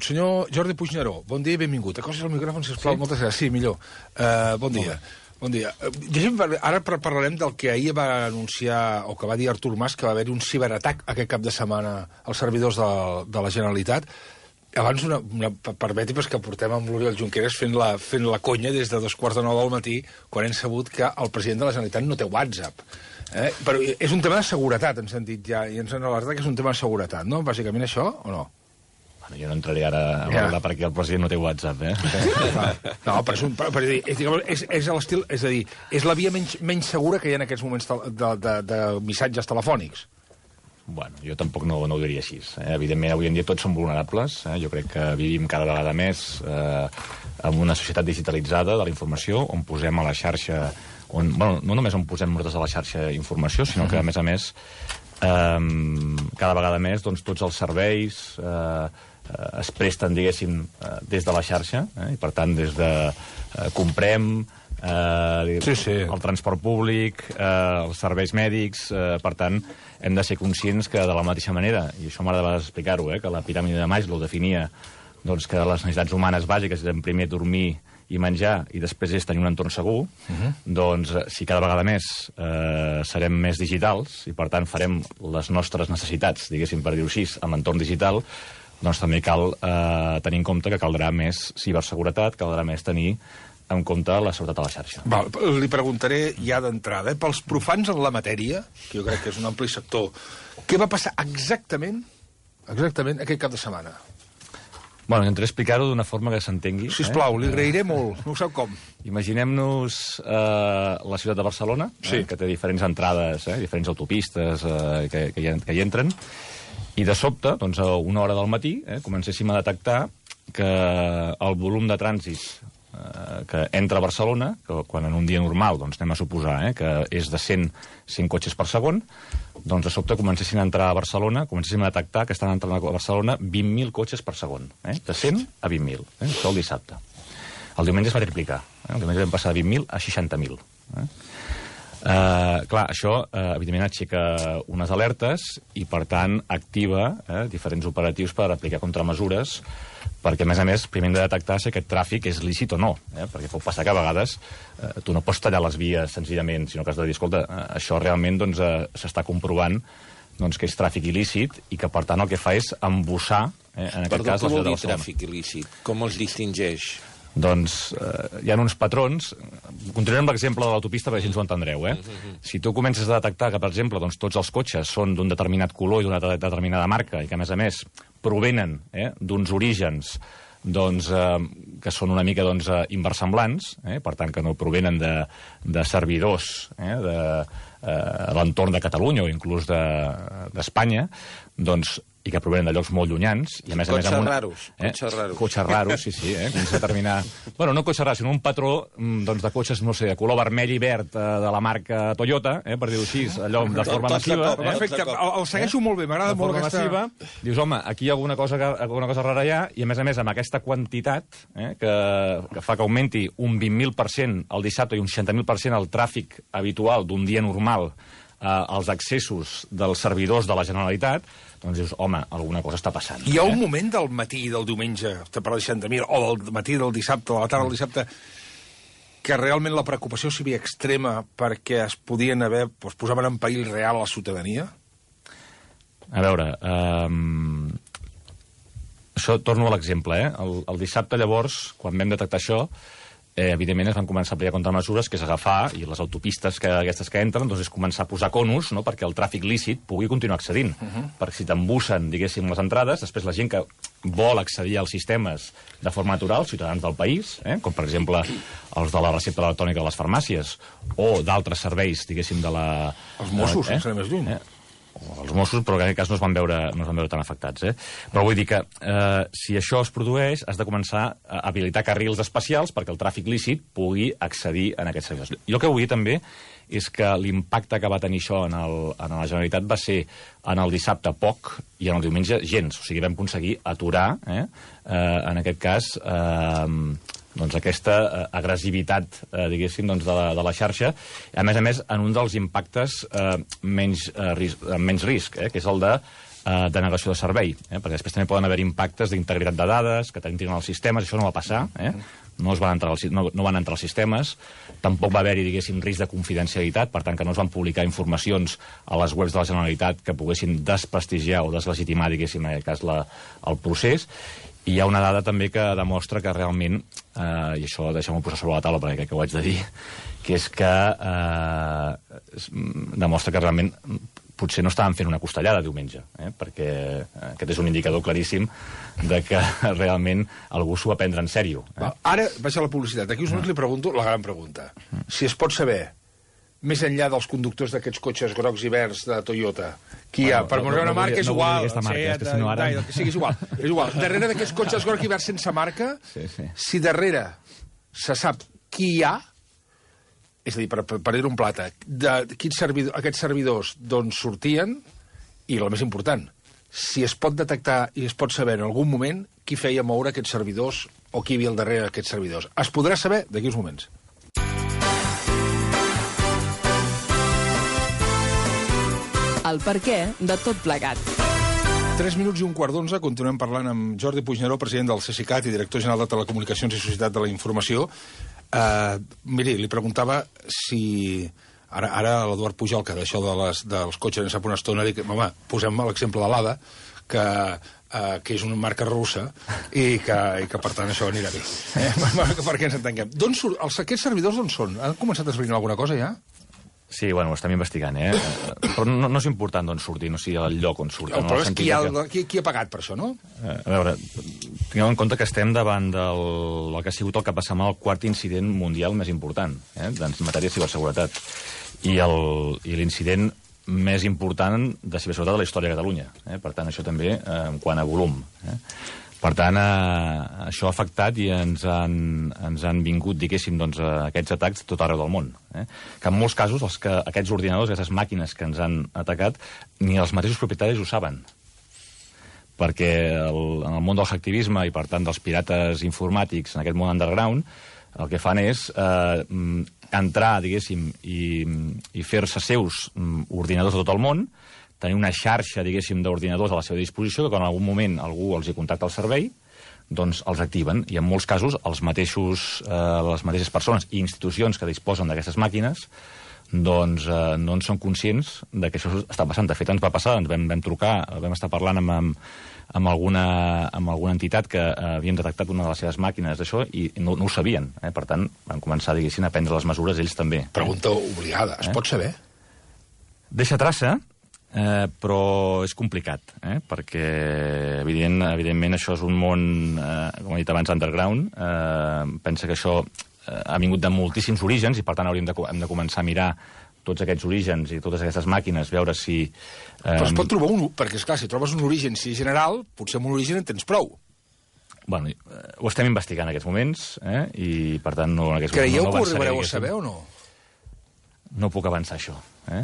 Senyor Jordi Puigneró, bon dia i benvingut. Acostis el micròfon, sisplau, moltes gràcies. Sí, millor. Bon dia. Bon dia. Ara parlarem del que ahir va anunciar, o que va dir Artur Mas, que va haver-hi un ciberatac aquest cap de setmana als servidors de la Generalitat. Abans, permeti que portem amb l'Oriol Junqueras fent la conya des de 2:45 del matí, quan hem sabut que el president de la Generalitat no té WhatsApp. Però és un tema de seguretat, ens han dit ja, i ens han alertat que és un tema de seguretat, no? Bàsicament això, o no? Bueno, jo no entraré ara a parlar perquè el president no té WhatsApp, No, però és l'estil... És a dir, és la via menys segura que hi ha en aquests moments de missatges telefònics. Bueno, jo tampoc no ho diria així. Evidentment, avui en dia tots som vulnerables. Jo crec que vivim cada vegada més en una societat digitalitzada de la informació, on posem a la xarxa... no només on posem nosaltres a la xarxa informació, sinó que, a més, cada vegada més tots els serveis es presten, diguéssim, des de la xarxa, i per tant, des de comprem... el transport públic, els serveis mèdics, per tant, hem de ser conscients que de la mateixa manera, i això m'agrada explicar-ho, que la piràmide de Maslow definia que les necessitats humanes bàsiques eren primer dormir i menjar, i després és tenir un entorn segur, doncs si cada vegada més serem més digitals, i per tant farem les nostres necessitats, diguéssim, per dir-ho així, en l'entorn digital, doncs també cal tenir en compte que caldrà més ciberseguretat, caldrà més tenir en compte la seguretat a la xarxa. Li preguntaré ja d'entrada, pels profans en la matèria, que jo crec que és un ampli sector, què va passar exactament aquest cap de setmana? Bueno, intentaré explicar-ho d'una forma que s'entengui. Sisplau, li agrairé molt, no ho sap com. Imaginem-nos la ciutat de Barcelona, que té diferents entrades, diferents autopistes que hi entren, i de sobte, a una hora del matí, comencéssim a detectar que el volum de trànsit que entra a Barcelona, que quan en un dia normal anem a suposar que és de 100 cotxes per segon, doncs de sobte comencessin a entrar a Barcelona, comencéssim a detectar que estan entrant a Barcelona 20.000 cotxes per segon, de 100 a 20.000, això el dissabte. El diumenge es va triplicar, el diumenge vam passar de 20.000 a 60.000. Clar, això evidentment aixeca unes alertes i per tant activa diferents operatius per aplicar contramesures, perquè a més primer hem de detectar si aquest tràfic és lícit o no, perquè pot passar que a vegades tu no pots tallar les vies senzillament, sinó que has de dir, escolta, això realment s'està comprovant que és tràfic il·lícit i que per tant el que fa és embussar, en aquest cas, la ciutat de Barcelona. Què vol dir tràfic il·lícit? Com els distingeix? Doncs hi ha uns patrons. Continuem amb l'exemple de l'autopista perquè així ens ho entendreu. Si tu comences a detectar que, per exemple, tots els cotxes són d'un determinat color i d'una determinada marca i que, a més, provenen d'uns orígens que són una mica inversemblants, per tant, que no provenen de servidors de l'entorn de Catalunya o inclús d'Espanya, i que provenen de llocs molt llunyans. Cotxes raros. Cotxes raros, sí. Determinar... Bueno, no cotxes raros, sinó un patró de cotxes, no sé, de color vermell i verd de la marca Toyota, per dir-ho així, allò de forma massiva. Perfecte, el segueixo molt bé, m'agrada molt aquesta... De forma massiva. Dius, home, aquí hi ha alguna cosa rara hi ha, i a més, amb aquesta quantitat, que fa que augmenti un 20.000% el dissabte i un 60.000% el tràfic habitual d'un dia normal als accessos dels servidors de la Generalitat, doncs dius, home, alguna cosa està passant. Hi ha un moment del matí del diumenge, per la 60.000, o del matí del dissabte, de la tarda del dissabte, que realment la preocupació seria extrema perquè es podien haver, posaven en perill real a la ciutadania? A veure, això torno a l'exemple, El dissabte, llavors, quan vam detectar això, evidentment es van començar a aplicar contramesures, que és agafar, i les autopistes aquestes que entren, doncs és començar a posar conos, perquè el tràfic lícit pugui continuar accedint. Perquè si t'embussen, diguéssim, les entrades, després la gent que vol accedir als sistemes de forma natural, ciutadans del país, com per exemple els de la recepta electrònica de les farmàcies, o d'altres serveis, diguéssim, de la... Els Mossos, sense anar més lluny. Els Mossos, però que en aquest cas no es van veure tan afectats. Però vull dir que si això es produeix, has de començar a habilitar carrils especials perquè el tràfic lícit pugui accedir en aquests servidors. Jo el que vull dir també és que l'impacte que va tenir això en la Generalitat va ser en el dissabte poc i en el diumenge gens. O sigui, vam aconseguir aturar, en aquest cas, aquesta agressivitat, diguéssim, de la xarxa, a més, en un dels impactes menys risc, que és el de denegació de servei, perquè després també poden haver impactes d'integritat de dades, que t'entrin als sistemes, això no va passar, no van entrar als sistemes, tampoc va haver-hi, diguéssim, risc de confidencialitat, per tant que no es van publicar informacions a les webs de la Generalitat que poguessin desprestigiar o deslegitimar, diguéssim, en aquest cas, el procés. I hi ha una dada també que demostra que realment, i això deixem-ho posar sobre la taula perquè crec que ho haig de dir, que és que demostra que realment potser no estàvem fent una costellada diumenge, perquè aquest és un indicador claríssim de que realment algú s'ho va prendre en sèrio. Ara vaig a la publicitat. Aquí us li pregunto la gran pregunta. Si es pot saber, més enllà dels conductors d'aquests cotxes grocs i verds de Toyota, qui hi ha? Per posar una marca és igual. És igual. És igual. Darrere d'aquests cotxes grocs i verds sense marca, si darrere se sap qui hi ha, és a dir, per dir un plata, aquests servidors d'on sortien, i el més important, si es pot detectar i es pot saber en algun moment qui feia moure aquests servidors o qui hi havia al darrere d'aquests servidors. Es podrà saber d'aquí uns moments. El perquè de tot plegat. 3 minuts i un quart d'11, continuem parlant amb Jordi Puigneró, president del CSICAT i director general de Telecomunicacions i Societat de la Informació. Miri, li preguntava si... Ara l'Eduard Pujol, que d'això dels cotxes en sap una estona, dic, home, posem l'exemple de l'ADA, que és una marca russa, i que per tant això anirà bé. Perquè ens entenguem. Aquests servidors d'on són? Han començat a esbrinar alguna cosa ja? Sí, bueno, ho estem investigant, Però no és important d'on surtin, o sigui, el lloc on surtin. El problema és qui ha pagat per això, no? A veure, tingueu en compte que estem davant del que ha sigut el que passa amb el quart incident mundial més important, en matèria de ciberseguretat. I l'incident més important de ciberseguretat de la història de Catalunya. Per tant, això també en quant a volum. Per tant, això ha afectat i ens han vingut, diguéssim, aquests atacs tot arreu del món. Que en molts casos aquests ordinadors, aquestes màquines que ens han atacat, ni els mateixos propietaris ho saben. Perquè en el món del hacktivisme i, per tant, dels pirates informàtics en aquest món underground, el que fan és entrar, diguéssim, i fer-se seus ordinadors de tot el món, tenir una xarxa, diguéssim, d'ordinadors a la seva disposició, que quan en algun moment algú els hi contacta el servei, doncs els activen. I en molts casos les mateixes persones i institucions que disposen d'aquestes màquines doncs no en són conscients de que això està passant. De fet, ens va passar, ens vam trucar, vam estar parlant amb alguna entitat que havien detectat una de les seves màquines d'això i no ho sabien. Per tant, van començar, diguéssim, a prendre les mesures ells també. Pregunta obligada. Es pot saber? Deixa traça, però és complicat, perquè evidentment això és un món, com he dit abans, underground. Pensa que això ha vingut de moltíssims orígens i per tant hem de començar a mirar tots aquests orígens i totes aquestes màquines, veure si... Però es pot trobar un... Perquè, esclar, si trobes un origen si general, potser amb un origen en tens prou. Bueno, ho estem investigant en aquests moments, i per tant no... Creieu que ho arribareu a saber o no? No puc avançar això.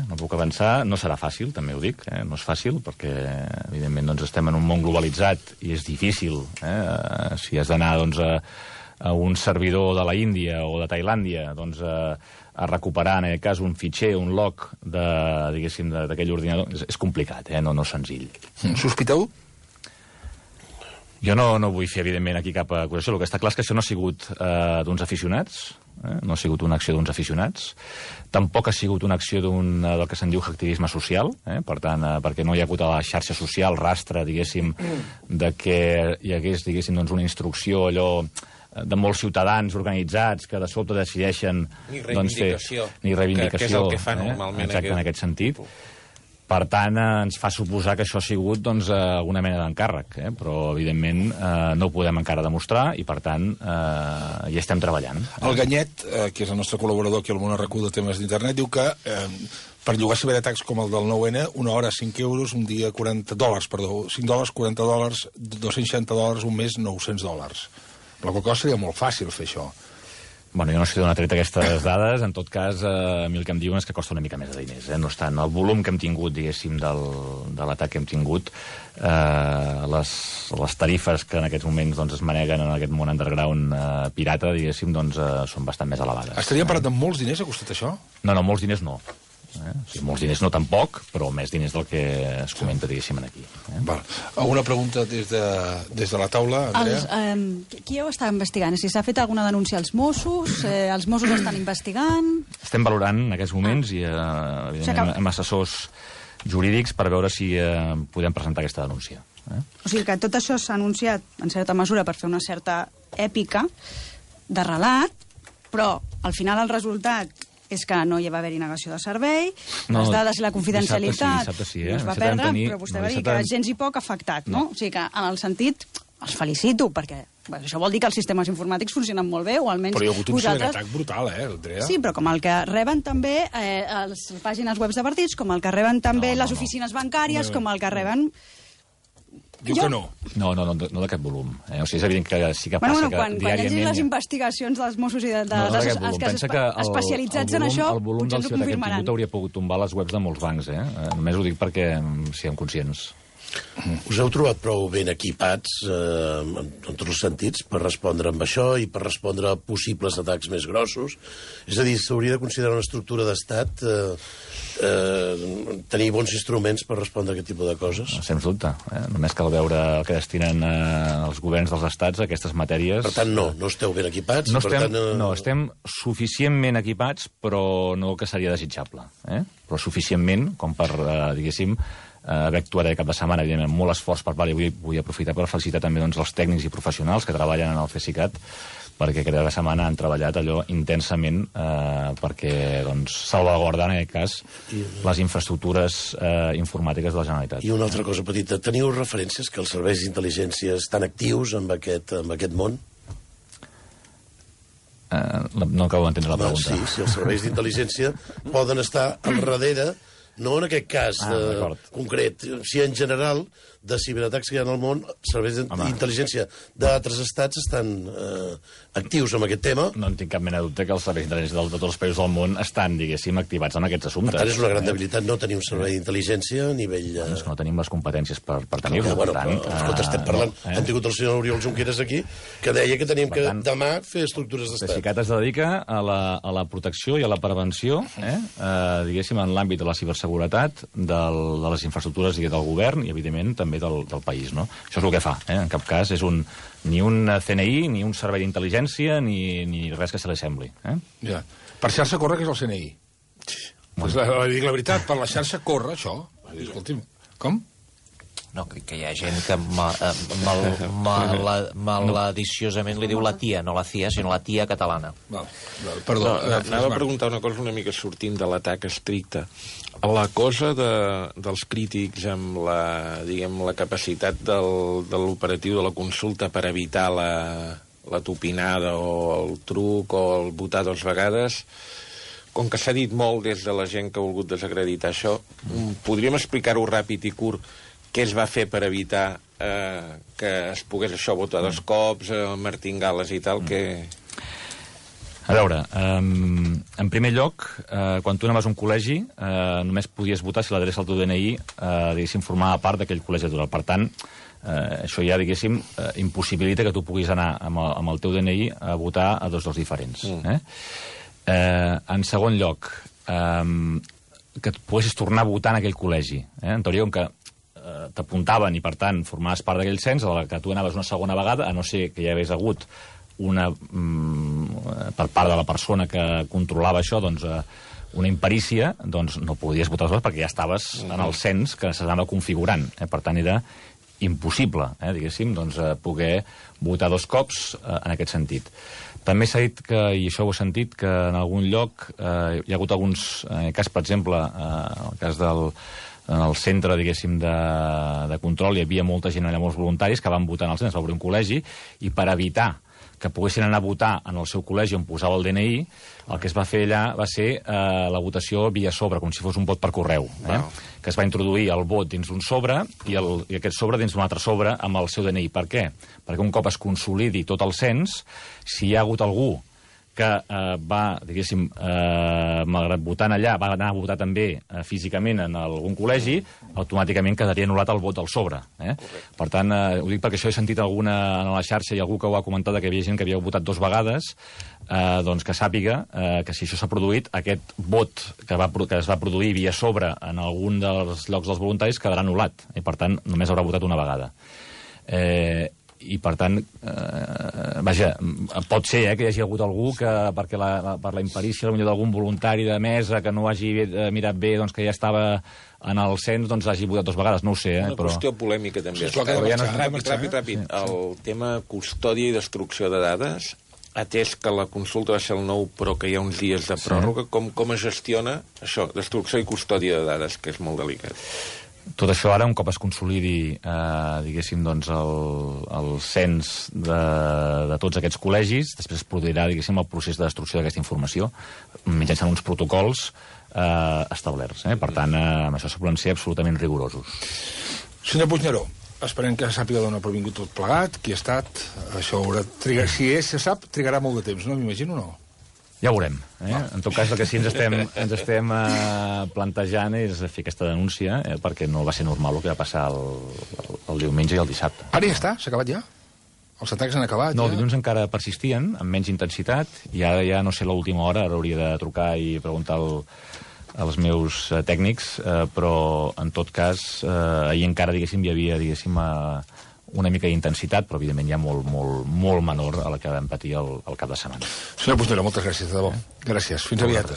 No puc avançar, no serà fàcil, també ho dic, no és fàcil, perquè evidentment estem en un món globalitzat i és difícil, si has d'anar a un servidor de la Índia o de Tailàndia a recuperar, en aquest cas, un fitxer, un log d'aquell ordinador, és complicat, no és senzill. Sospiteu? Jo no vull fer, evidentment, aquí cap acusació. El que està clar és que això no ha sigut d'uns aficionats, no ha sigut una acció d'uns aficionats, tampoc ha sigut una acció del que se'n diu hacktivisme social, per tant, perquè no hi ha hagut a la xarxa social rastre, diguéssim, de que hi hagués, diguéssim, una instrucció allò de molts ciutadans organitzats que de sobte decideixen... Ni reivindicació. Ni reivindicació. Que és el que fa normalment. Exacte, en aquest sentit. Per tant, ens fa suposar que això ha sigut alguna mena d'encàrrec, però evidentment no ho podem encara demostrar i per tant hi estem treballant. El Ganyet, que és el nostre col·laborador aquí al Món Arracú de temes d'internet, diu que per llogar ciberatacs com el del 9N, una hora 5 euros, un dia $40, perdó, $5, $40, $260, un mes $900. La qual cosa seria molt fàcil fer això. Bueno, jo no sé d'on ha tret aquestes dades, en tot cas, a mi el que em diuen és que costa una mica més de diners. No estan el volum que hem tingut, diguéssim, de l'atac que hem tingut, les tarifes que en aquests moments es maneguen en aquest món underground pirata, diguéssim, són bastant més elevades. Estaríem parlant de molts diners, ha costat això? No, molts diners no. Molts diners no tan poc, però més diners del que es comenta, diguéssim, aquí. Val. Alguna pregunta des de la taula, Andrea? Qui ho està investigant? Si s'ha fet alguna denúncia als Mossos? Els Mossos estan investigant? Estem valorant en aquests moments i evidentment amb assessors jurídics per veure si podem presentar aquesta denúncia. O sigui que tot això s'ha anunciat en certa mesura per fer una certa èpica de relat, però al final el resultat és que no hi va haver-hi negació de servei, les dades i la confidencialitat no es va perdre, però vostè va dir que gens i poc afectat, no? O sigui que, en el sentit, els felicito, perquè això vol dir que els sistemes informàtics funcionen molt bé, o almenys però hi ha hagut un ciberatac brutal, Andrea? Sí, però com el que reben també les pàgines webs de partits, com el que reben també les oficines bancàries, com el que reben... Diu que no. No de cap volum. O sigui, és evident que sí que passa que diàriament... Quan llegis les investigacions dels Mossos i especialitzats en això, potser ens ho confirmaran. El volum del ciberatac hauria pogut tombar les webs de molts bancs, Només ho dic perquè siguem conscients. Us heu trobat prou ben equipats en tots els sentits per respondre amb això i per respondre a possibles atacs més grossos? És a dir, s'hauria de considerar una estructura d'estat tenir bons instruments per respondre a aquest tipus de coses? Sens dubte. Només cal veure el que destinen els governs dels estats a aquestes matèries. Per tant, no esteu ben equipats? No, estem suficientment equipats, però no que seria desitjable. Però suficientment com per, diguéssim, haver actuat aquest cap de setmana, evidentment, molt esforç per part, i vull aprofitar per felicitar també els tècnics i professionals que treballen en el CSICAT, perquè cada setmana han treballat allò intensament perquè salvaguardar, en aquest cas, les infraestructures informàtiques de la Generalitat. I una altra cosa petita, teniu referències que els serveis d'intel·ligència estan actius en aquest món? No acabo d'entendre la pregunta. Sí, els serveis d'intel·ligència poden estar al darrere, no en aquest cas concret, si en general de ciberatacs que hi ha al món, serveis d'intel·ligència d'altres estats estan actius amb aquest tema. No en tinc cap mena de dubte que els serveis d'intel·ligència de tots els països del món estan, diguéssim, activats en aquests assumptes. Per tant, és una gran debilitat no tenir un servei d'intel·ligència a nivell... És que no tenim les competències per tenir-lo. Escolta, estem parlant... Hem tingut el senyor Oriol Junqueras aquí, que deia que tenim que demà fer estructures d'estat. El CSICAT es dedica a la protecció i a la prevenció, diguéssim, en l'àmbit de la ciberseguretat, de les infraestructures del govern i, evidentment, també del país, no? Això és el que fa, En cap cas és ni un CNI, ni un servei d'intel·ligència, ni res que se li sembli. Ja. Per xarxa corre, que és el CNI. Pues la veritat, per la xarxa corre, això. Escolti'm, com? No, que hi ha gent que maladiciosament li diu la tia, no la CIA, sinó la tia catalana. Perdó. Anava a preguntar una cosa una mica sortint de l'atac estricte. La cosa dels crítics amb la capacitat de l'operatiu de la consulta per evitar la tupinada o el truc o el votar 2 vegades, com que s'ha dit molt des de la gent que ha volgut desacreditar això, podríem explicar-ho ràpid i curt què es va fer per evitar que es pogués això votar 2 cops, martingales i tal, que... A veure, en primer lloc, quan tu anaves a un col·legi, només podies votar si l'adreça al teu DNI, diguéssim, formava part d'aquell col·legi electoral. Per tant, això ja, diguéssim, impossibilita que tu puguis anar amb el teu DNI a votar a 2 llocs diferents. En segon lloc, que et poguessis tornar a votar en aquell col·legi. En teoria, com que t'apuntaven i, per tant, formaves part d'aquell cens, a la que tu anaves una segona vegada, a no ser que hi hagués hagut per part de la persona que controlava això, una imperícia, no podies votar les coses perquè ja estaves en el cens que s'anava configurant. Per tant, era impossible, diguéssim, poder votar 2 cops en aquest sentit. També s'ha dit que, i això ho he sentit, que en algun lloc hi ha hagut alguns, en el cas, per exemple, en el cas en el centre, diguéssim, de control, hi havia molta gent allà, molts voluntaris, que van votar en el centre, va obrir un col·legi, i per evitar que poguessin anar a votar en el seu col·legi on posava el DNI, el que es va fer allà va ser la votació via sobre, com si fos un vot per correu. Que es va introduir el vot dins d'un sobre i aquest sobre dins d'un altre sobre amb el seu DNI. Per què? Perquè un cop es consolidi tot el cens, si hi ha hagut algú que va, diguéssim, malgrat votant allà, va anar a votar també físicament en algun col·legi, automàticament quedaria anul·lat el vot al sobre. Per tant, ho dic perquè això he sentit alguna a la xarxa i algú que ho ha comentat, que hi havia gent que havia votat 2 vegades, doncs que sàpiga que si això s'ha produït, aquest vot que es va produir via sobre en algun dels llocs dels voluntaris quedarà anul·lat, i per tant només haurà votat una vegada. I per tant, vaja, pot ser que hi hagi hagut algú que per la imperícia d'algun voluntari de mesa que no hagi mirat bé, doncs que ja estava en el cens, doncs hagi votat 2 vegades, no ho sé. Una qüestió polèmica també. Ràpid. El tema custòdia i destrucció de dades, atès que la consulta va ser el 9 però que hi ha uns dies de pròrroga, com es gestiona això, destrucció i custòdia de dades, que és molt delicat? Tot això ara, un cop es consolidi, diguéssim, doncs, el cens de tots aquests col·legis, després es produirà, diguéssim, el procés de destrucció d'aquesta informació mitjançant uns protocols establerts. Per tant, amb això se poden ser absolutament rigorosos. Senyor Puigneró, esperem que sàpiga d'on ha provingut tot plegat, qui ha estat, això haurà trigat, si se sap, trigarà molt de temps, no? M'imagino, no? Ja ho veurem. En tot cas, el que sí ens estem plantejant és fer aquesta denúncia, perquè no va ser normal el que va passar el diumenge i el dissabte. Ara ja està? S'ha acabat ja? Els atacs han acabat? No, el dilluns encara persistien, amb menys intensitat, i ara ja, no sé, l'última hora, ara hauria de trucar i preguntar als meus tècnics, però, en tot cas, ahir encara, diguéssim, hi havia, diguéssim, una mica d'intensitat, però evidentment ja molt menor a la que vam patir el cap de setmana. Senyor Puigneró, moltes gràcies, de debò. Gràcies. Fins aviat.